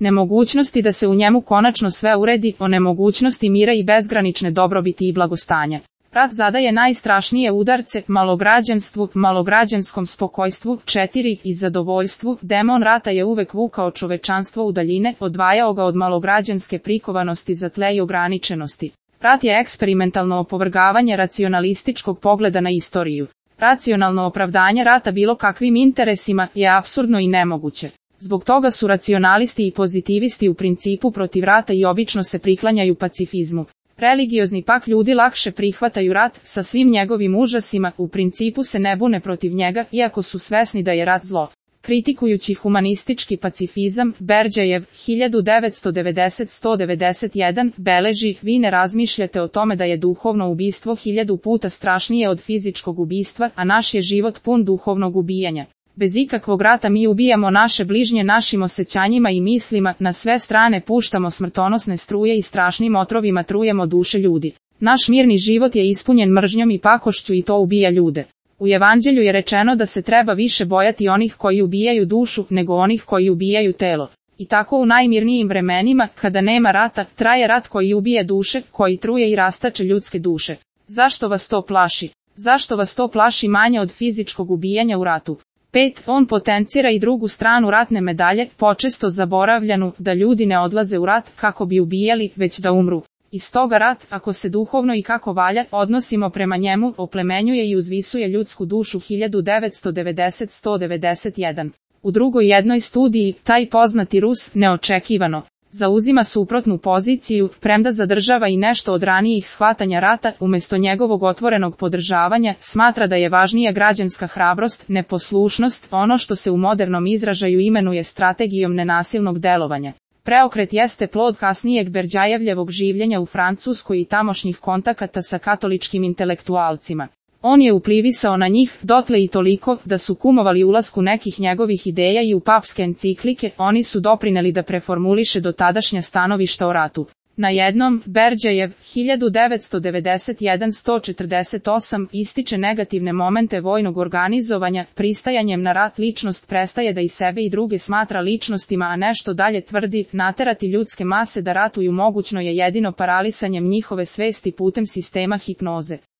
nemogućnosti da se u njemu konačno sve uredi, o nemogućnosti mira i bezgranične dobrobiti i blagostanja. Rat zadaje najstrašnije udarce malograđanstvu, malograđanskom spokojstvu, 4 i zadovoljstvu. Demon rata je uvek vukao čovečanstvo u daljine, odvajao ga od malograđanske prikovanosti za tle i ograničenosti. Rat je eksperimentalno opovrgavanje racionalističkog pogleda na istoriju. Racionalno opravdanje rata bilo kakvim interesima je apsurdno i nemoguće. Zbog toga su racionalisti i pozitivisti u principu protiv rata i obično se priklanjaju pacifizmu. Religiozni pak ljudi lakše prihvataju rat sa svim njegovim užasima, u principu se ne bune protiv njega, iako su svesni da je rat zlo. Kritikujući humanistički pacifizam, Berdjajev, 1990-191, beleži, vi ne razmišljate o tome da je duhovno ubistvo 1000 puta strašnije od fizičkog ubistva, a naš je život pun duhovnog ubijanja. Bez ikakvog rata mi ubijamo naše bližnje našim osjećanjima i mislima, na sve strane puštamo smrtonosne struje i strašnim otrovima trujemo duše ljudi. Naš mirni život je ispunjen mržnjom i pakošću i to ubija ljude. U Evanđelju je rečeno da se treba više bojati onih koji ubijaju dušu, nego onih koji ubijaju telo. I tako u najmirnijim vremenima, kada nema rata, traje rat koji ubije duše, koji truje i rastače ljudske duše. Zašto vas to plaši? Zašto vas to plaši manje od fizičkog ubijanja u ratu? 5. On potencira i drugu stranu ratne medalje, počesto zaboravljanu, da ljudi ne odlaze u rat kako bi ubijali, već da umru. I stoga rat, ako se duhovno i kako valja odnosimo prema njemu, oplemenjuje i uzvisuje ljudsku dušu. 1990-191. U drugoj jednoj studiji, taj poznati Rus, neočekivano, zauzima suprotnu poziciju, premda zadržava i nešto od ranijih shvatanja rata, umjesto njegovog otvorenog podržavanja, smatra da je važnija građanska hrabrost, neposlušnost, ono što se u modernom izražaju imenuje strategijom nenasilnog delovanja. Preokret jeste plod kasnijeg Berdjajevljevog življenja u Francuskoj i tamošnjih kontakata sa katoličkim intelektualcima. On je uplivisao na njih, dotle i toliko, da su kumovali ulasku nekih njegovih ideja i u papske enciklike, oni su doprineli da preformuliše dotadašnja stanovišta o ratu. Na jednom, Berdjajev, 1991-148, ističe negativne momente vojnog organizovanja, pristajanjem na rat ličnost prestaje da i sebe i druge smatra ličnostima, a nešto dalje tvrdi, naterati ljudske mase da ratuju mogućno je jedino paralisanjem njihove svesti putem sistema hipnoze.